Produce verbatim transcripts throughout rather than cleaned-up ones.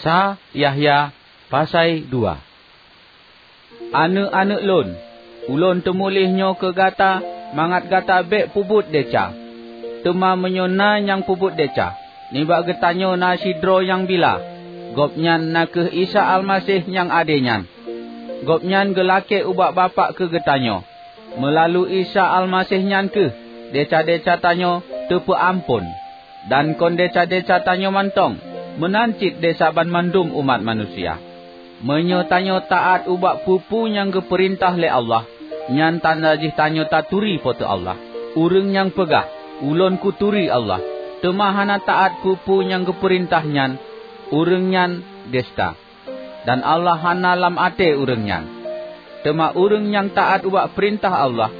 Sa Yahya pasai dua. Aneuëk-aneuëk lôn, ulôn teumuléh nyoe keu gata mangat gata bék peubuet desya. Teuma meunyoe na nyang peubuet desya, nibak geutanyoe na sidroe nyang bila, gobnyan na kheueh Isa Almaseh nyang ade nyan. Gobnyan geulakée ubak Bapak keu geutanyoe. Meulalu Isa Almaseh nyan kheueh desya-desya tanyoe teupeuamphon, dan kon desya-desya tanyoe mantong, meunan cit desya banmandum umat manusia. Meunyoe tanyoe taát ubak peue-peue nyang geupeurintah lé Allah, nyan tanda jih tanyoe taturi Po teu Allah. Ureuëng nyang peugah, "Ulôn kuturi Allah," teuma hana taát peue-peue nyang geupeurintah nyan, ureuëng nyan desta, dan Allah hana lam até ureuëng nyan. Teuma ureuëng nyang taát ubak peurintah Allah,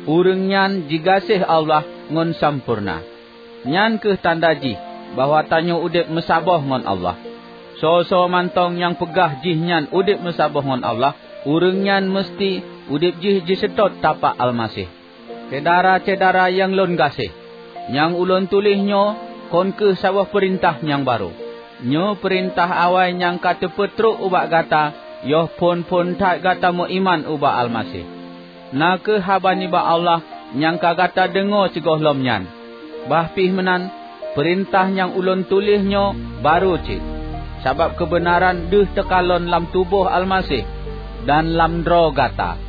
ureuëng nyan jigaséh Allah ngon sampoereuna. Nyan kheueh tanda jih bahwa tanyoe udeb meusaboh ngon Allah. Soe-soe mantong nyang peugah jih nyan udeb meusaboh ngon Allah, ureuëng nyan meuseuti udeb jih jiseutôt tapak Almaseh. Syedara-syedara nyang lôn gaséh, nyang ulôn tuléh nyoe kon kheueh saboh peurintah nyang barô. Nyoe peurintah awai nyang ka teupeutrok ubak gata yoh phon-phon that gata meuiman ubak Almaseh. Na kheueh haba nibak Allah nyang ka gata deungoe sigohlom nyan. Bah pih meunan, peurintah nyang ulôn tuléh nyoe barô cit, sabab keubeunaran deuh teukalon lam tuboh Almaseh dan lam droe gata.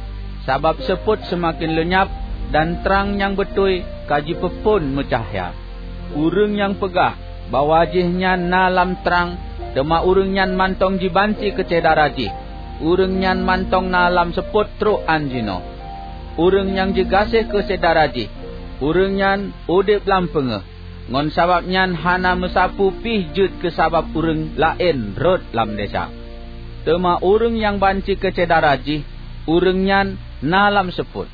Sabab seupôt seumaken leunyab, dan trang nyang beutôi ka jipeuphon meucahya. Ureuëng nyang peugah bahwa jih nyan na lam trang, teuma ureuëng nyan mantong jibanci keu syedara jih, ureuëng nyan mantong na lam seupôt trok án jinoe. Ureuëng nyang jigaséh keu syedara jih, ureuëng nyan udeb lam peungéh, ngon sabab nyan hana meusapeue pih jeuet keu sabab ureuëng laén rhot lam desya. Teuma ureuëng nyang banci keu syedara jih, ureuëng nyan na lam seupôt.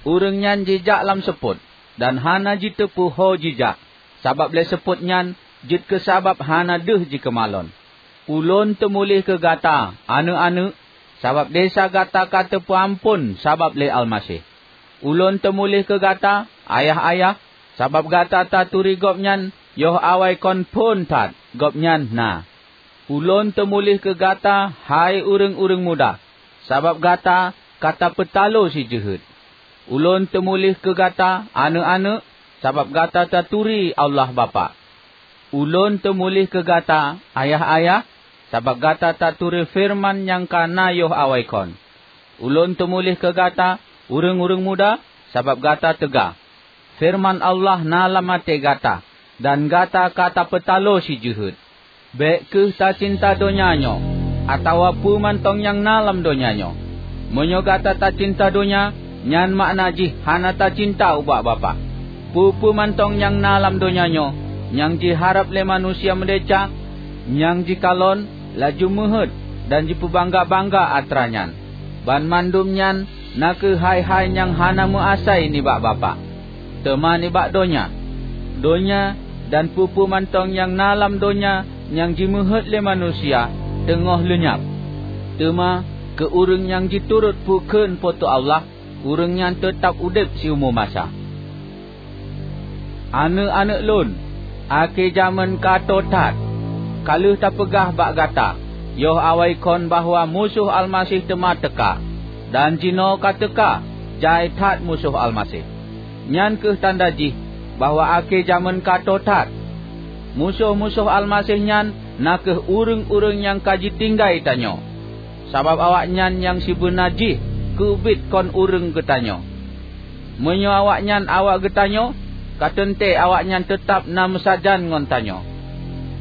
Ureuëng nyan jijak lam seupôt, dan hana jiteupeu ho jijak, sabab lé seupôt nyan jeuet keu sabab hana deuh jikeumalon. Ulôn teumuléh keu gata, aneuëk-aneuëk, sabab desya gata ka teupeuamphon sabab lé Almaseh. Ulôn teumuléh keu gata, ayah-ayah, sabab gata taturi Gobnyan yoh awai kon phon that Gobnyan na. Ulôn teumuléh keu gata, hai ureuëng-ureuëng muda, sabab gata ka tapeutalo si jeuhet. Ulôn teumuléh keu gata, aneuëk-aneuëk, sabab gata taturi Allah Bapak. Ulôn teumuléh keu gata, ayah-ayah, sabab gata taturi feureuman nyang ka na yoh awai kon. Ulôn teumuléh keu gata, ureuëng-ureuëng muda, sabab gata teuga, feureuman Allah na lam até gata, dan gata ka tapeutalo si jeuhet. Bék kheueh tacinta donya nyoe, atawa peue mantong nyang na lam donya nyoe. Meunyoe gata tacinta donya, nyan makna jih hana tacinta ubak Bapak. Peue-peue mantong nyang na lam donya nyoe, nyang jiharab lé manusia meudesya, nyang jikalon, laju meuheuét, dan jipeubangga-bangga atra nyan, banmandum nyan na kheueh hai-hai nyang hana meuasai nibak Bapak, teuma nibak donya. Donya dan peue-peue mantong nyang na lam donya nyang jimeuheuét lé manusia teungoh leunyab. Teuma keu ureuëng nyang jiturot peue kheun Po teu Allah, ureuëng nyan teutab udeb siumu masa. Aneuëk-aneuëk lôn, akhé jamén ka tô that. Ka lheueh tapeugah bak gata yoh awai kon bahwa musoh Almaseh teuma teuka, dan jinoe ka teuka jai that musoh Almaseh. Nyan kheueh tanda jih bahwa akhé jamén ka tô that. Musoh-musoh Almaseh nyan na kheueh ureuëng-ureuëng nyang ka jitinggai tanyoe, sabab awaknyan nyang sibeuna jih keubiet kon ureuëng geutanyoe. Meunyoe awaknyan awak geutanyoe, ka teuntée awaknyan teutab na meusajan ngon tanyoe.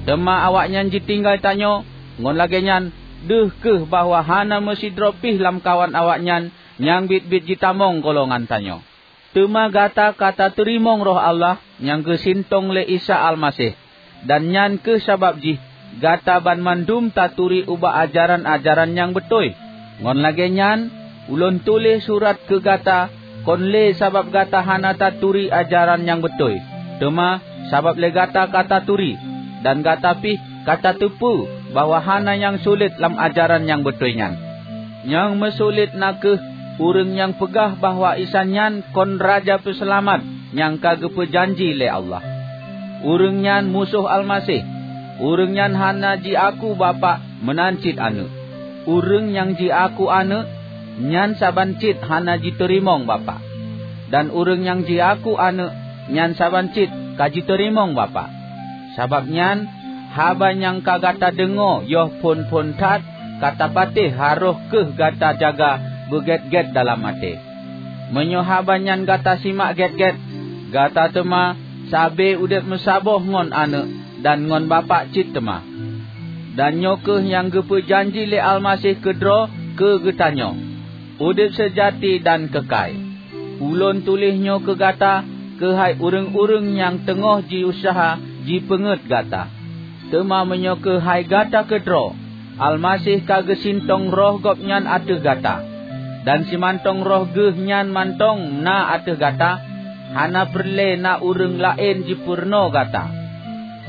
Teuma awaknyan jitinggai tanyoe, ngon lagée nyan deuh kheueh bahwa hana meusidroe pih lamkawan awaknyan nyang biet-biet jitamong golongan tanyoe. Teuma gata ka tateurimong Roh Allah nyang geusintong lé Isa Almaseh, dan nyan kheueh sabab jih gata banmandum taturi ubak ajaran-ajaran nyang beutôi. Ngon lagée nyan, ulôn tuléh surat keu gata kon lé sabab gata hana taturi ajaran nyang beutôi, teuma sabab lé gata ka taturi, dan gata pih ka tateupeue bahwa hana nyang sulet lam ajaran nyang beutôi nyan. Nyang meusulet na kheueh ureuëng nyang peugah bahwa Isa nyan kon Raja Peuseulamat nyang ka geupeujanji lé Allah. Ureuëng nyan musoh Almaseh. Ureuëng nyan hana jiaku Bapak meunan cit Aneuëk. Ureuëng nyang jiaku Aneuëk, nyan saban cit hana jiteurimong Bapak. Dan ureuëng nyang jiaku Aneuëk, nyan saban cit ka jiteurimong Bapak. Sabab nyan, haba nyang ka gata deungoe yoh phon-phon that ka tapatéh harôh kheueh gata jaga beugét-gét dalam até. Meunyoe haba nyan gata simak gét-gét, gata teuma sabe udeb meusaboh ngon Aneuëk dan ngon Bapak cit teuma. Dan nyoe kheueh nyang geupeu janji lé Almaseh keudroe keu geutanyoe, udeb seujati dan keukai. Ulôn tuléh nyoe keu gata keuhai ureuëng-ureuëng nyang teungoh jiuseuha jipeungét gata. Teuma meunyoe keuhai gata keudroe, Almaseh ka geusintong Roh Gobnyan ateueh gata, dan simantong Roh Geuh nyan mantong na ateueh gata, hana peureulée na ureuëng laén jipeurunoe gata.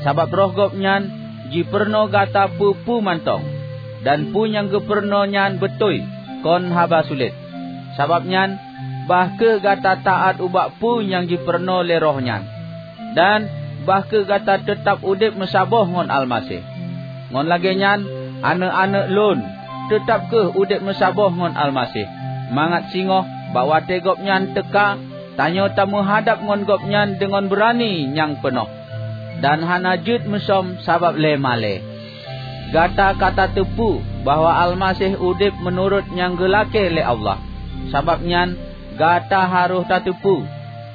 Sabab Roh Gobnyan jipeurunoe gata peue-peue mantong, dan peue nyang geupeurunoe nyan beutôi, kon haba sulet. Sabab nyan, bah kheueh gata taát ubak peue nyang jipeurunoe lé Roh nyan, dan bah kheueh gata teutab udeb meusaboh ngon Almaseh. Ngon lagée nyan, aneuëk-aneuëk lôn, teutab kheueh udeb meusaboh ngon Almaseh, mangat singoh bak watée Gobnyan teuka, tanyoe tameuhadab ngon Gobnyan deungon beurani nyang peunoh, dan hana jeuet musöm sabab lé malée. Gata ka tateupeue bahwa Almaseh udeb meunurot nyang geulakée lé Allah. Sabab nyan, gata harôh tateupeue,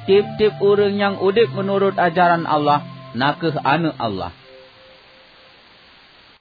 tieb-tieb ureuëng nyang udeb meunurot ajaran Allah na kheueh aneuëk Allah.